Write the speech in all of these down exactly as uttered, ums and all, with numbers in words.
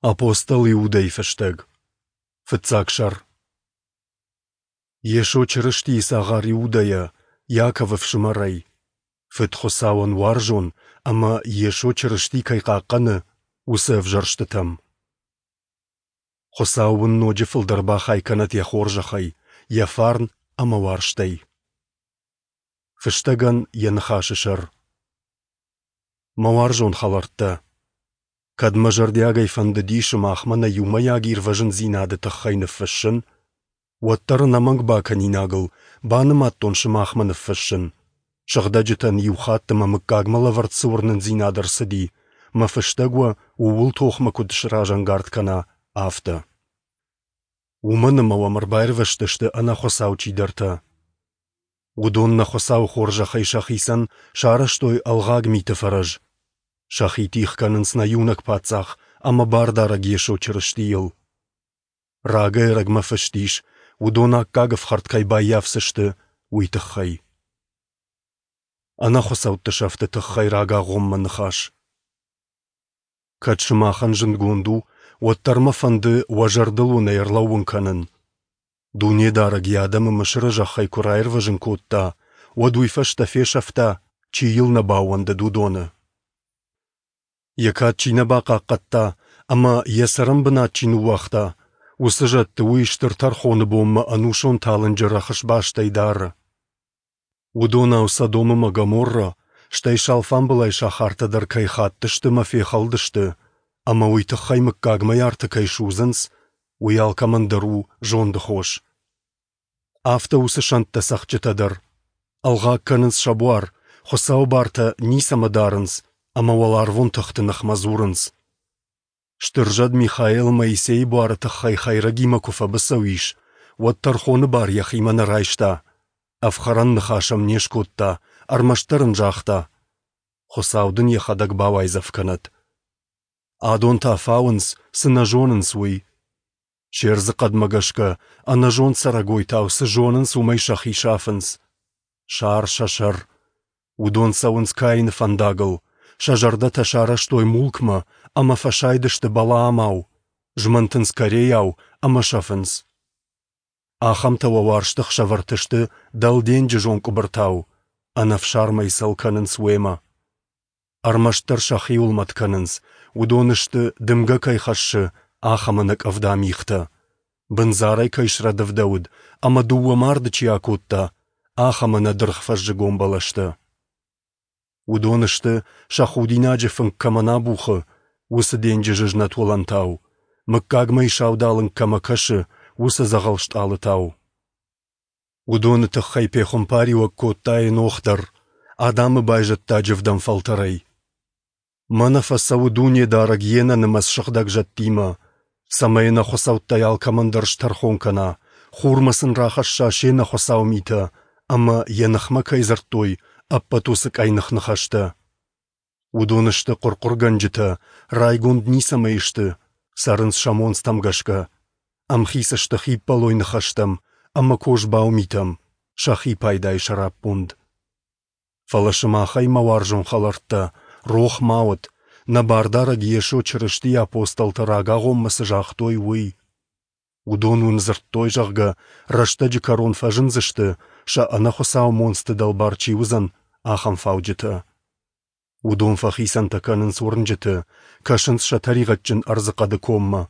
Апостол Иудӕйы фыстӕг. Фыццаг сӕр. Йесо Чырыстийы цагъар Иудӕйӕ, Иаковы фсымӕрӕй, Фыд Хуыцауӕн уарзон ӕмӕ Йесо Чырысти кӕй хъахъхъӕны, уыцы ӕвзӕрстытӕм. Хуыцау уын ноджы фылдӕр бахай кӕнӕд йӕ хорзӕхӕй, йӕ фарн ӕмӕ уарзтӕй. Фыстӕгӕн йӕ ныхасы сӕр. Мӕ уарзон хӕлӕрттӕ! Кӕд мӕ зӕрдиагӕй фӕндыди сымахмӕ нӕ иумӕйаг ирвӕзындзинады тыххӕй ныффыссын, уӕддӕр ӕнӕмӕнг бакӕнинагыл банымадтон сымахмӕ ныффыссын, сыгъдӕджытӕн иу хатт ӕмӕ мыггагмӕ лӕвӕрд цы уырнындзинад ӕрцыди, мӕ фыстӕг уӕ ууыл тохмӕ куыд сразӕнгард кӕна, афтӕ. Уымӕн ӕмӕ уӕм ӕрбаирвӕзтысты ӕнӕхуыцау чидӕртӕ. Уыдон нӕ Хуыцауы хорзӕхӕй сӕхицӕн сарӕзтой ӕлгъаг миты фӕрӕз. Сӕхи тигъ кӕнынц нӕ иунӕг Паддзах ӕмӕ Бардарӕг Йесо Чырыстийыл. Рагӕй-ӕрӕгмӕ фыст ис, уыдон аккаг ӕфхӕрд кӕй баййафдзысты, уый тыххӕй. Ӕнӕхуыцӕутты сӕфты тыххӕй рагагъоммӕ ныхас. Кӕд сымахӕн зындгонд у, уӕддӕр мӕ фӕнды уӕ зӕрдыл уын ӕй ӕрлӕууын кӕнын. Дунедарӕг йӕ адӕмы Мысыры зӕххӕй куы раирвӕзын кодта, уӕд уый фӕстӕ фесӕфта, чи йыл нӕ баууӕндыд, уыдоны. Йӕ кад чи нӕ бахъахъхъӕдта ӕмӕ йӕ цӕрӕнбынат чи ныууагъта, уыцы зӕдты уый стыр тӕрхоны бонмӕ ӕнусон талынджы рӕхысбастӕй дары. Уыдонау Содом ӕмӕ Гоморра, стӕй сӕ алфамбылай сахартӕ дӕр кӕй хаттысты ӕмӕ фехӕлдысты, ӕмӕ уый тыххӕй мыггагмӕ арты кӕй судзынц, уый алкӕмӕн дӕр у зонды хос. Афтӕ уыцы сӕнттӕ цӕгъдджытӕ дӕр. Ӕлгъаг кӕнынц сӕ буар, Хуыцауы бартӕ ницӕмӕ дарынц ӕмӕ уӕларвон тыхты ныхмӕ дзурынц. Стыр зӕд Михаил Моисейы буары тыххӕй хӕйрӕгимӕ куы фӕбыцӕу ис, уӕд тӕрхоны бар йӕхимӕ нӕ райста, ӕфхӕрӕн ныхас ӕм не скодта, ӕрмӕстдӕр ын загъта: Хуыцау дын йӕхӕдӕг бауайдзӕф кӕнӕд. Адон та фауынц, цы нӕ зонынц, уый. Се рдзыхъӕдмӕ гӕсгӕ, ӕнӕзонд цӕрӕгойтау цы зонынц, уымӕй сӕхи сафынц. Сар сӕ сӕр. Уыдон цӕуынц Каины фӕндагыл, сӕ зӕрдӕтӕ сарӕзтой мулкмӕ ӕмӕ фӕсайдысты Балаамау, змӕнтынц Корейау ӕмӕ сӕфынц. Ахӕмтӕ уӕ уарзты ӕхсӕвӕрты сты дӕлденджызон къуыбыртау, ӕнӕфсармӕй цӕл кӕнынц уемӕ. Ӕрмӕстдӕр сӕхиуыл мӕт кӕнынц, уыдон сты, дымгӕ кӕй хӕссы, ахӕм ӕнӕкъӕвда мигътӕ, бындзарӕй кӕй срӕдывдӕуыд ӕмӕ дыууӕ марды чи акодта, ахӕм ӕнӕдыргъ фӕззыгон бӕлӕстӕ. Уыдон сты, сӕ худинаджы фынг кӕмӕн абухы, уыцы денджызы знӕт уылӕнтау, мыггагмӕйы саудалынг кӕмӕ кӕсы, уыцы дзӕгъӕл стъалытау. Уыдоны тыххӕй пехуымпариуӕг кодта Енох дӕр, Адамы байзӕддаджы ӕвдӕм фӕлтӕрӕй. Мӕнӕ фӕцӕуы Дунедарӕг йе нӕнымӕц сыгъдӕг зӕдтимӕ, цӕмӕй ӕнӕхуыцӕуттӕй алкӕмӕн дӕр стӕрхон кӕна, хурмӕ сын рахӕсса се нӕхуыцау митӕ ӕмӕ, йӕ ныхмӕ кӕй дзырдтой, ӕппӕт уыцы къӕйных ныхӕстӕ. Уыдон сты хъуырхъуыргӕнджытӕ, райгонд ницӕмӕй сты, цӕрынц сӕ монцтӕм гӕсгӕ, ӕмхиц сты хиппӕлой ныхӕстӕм ӕмӕ козбау митӕм, сӕхи пайдайы сӕраппонд. Фӕлӕ сымахӕй, мӕ уарзон хӕлӕрттӕ, рох ма уӕд, нӕ Бардарӕг Йесо Чырыстийы апостолтӕ рагагъоммӕ цы загътой, уый. Уыдон уын дзырдтой, зӕгъгӕ, рӕстӕджы кӕрон фӕзындзысты, сӕ ӕнӕхуыцау монцты дӕлбар чи уыдзӕн, ахӕм фауджытӕ. Уыдон фӕхицӕнтӕ кӕнынц уырнджыты, кӕсынц сӕ тӕригъӕдджын ӕрдзыхъӕды коммӕ,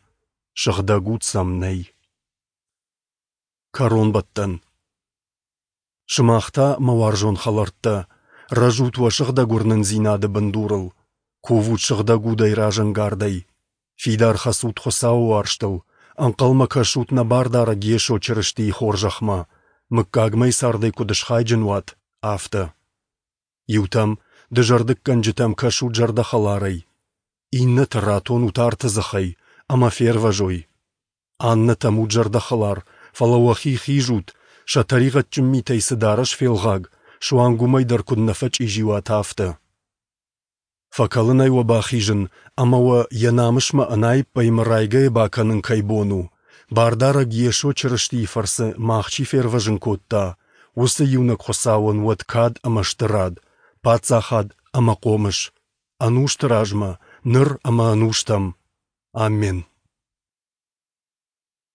сыгъдӕг уд сӕм нӕй. Кӕронбӕттӕн. Сымах та, мӕ уарзон хӕлӕрттӕ, рӕзут уӕ сыгъдӕг уырнындзинады бындурыл, кувут сыгъдӕг удӕй разӕнгардӕй, фидар хӕцут Хуыцауы уарзтыл, ӕнхъӕлмӕ кӕсут нӕ Бардарӕг Йесо Чырыстийы хорзӕхмӕ, мыггагмӕйы цардӕй куыд схайджын уат, афтӕ. Иутӕм, дызӕрдыггӕнджытӕм кӕсут зӕрдӕхӕларӕй, иннӕты ратонут арты дзыхӕй ӕмӕ фервӕзой. Аннӕтӕм ут зӕрдӕхӕлар, фӕлӕ уӕхи хизут, сӕ тӕригъӕдджын митӕй цы дарӕс фелгъаг, суанг уымӕй дӕр куыд нӕ фӕчъизи уат, афтӕ. Фӕкӕлынӕй уӕ бахизын ӕмӕ уӕ йӕ намысмӕ ӕнаиппӕй ӕмӕ райгӕйӕ бакӕнын кӕй бон у, Бардарӕг Йесо Чырыстийы фӕрцы мах чи фервӕзын кодта, уыцы иунӕг Хуыцауӕн уӕд кад ӕмӕ стырад, паддзахад ӕмӕ хъомыс, ӕнусты размӕ, ныр ӕмӕ ӕнустӕм. Аммен.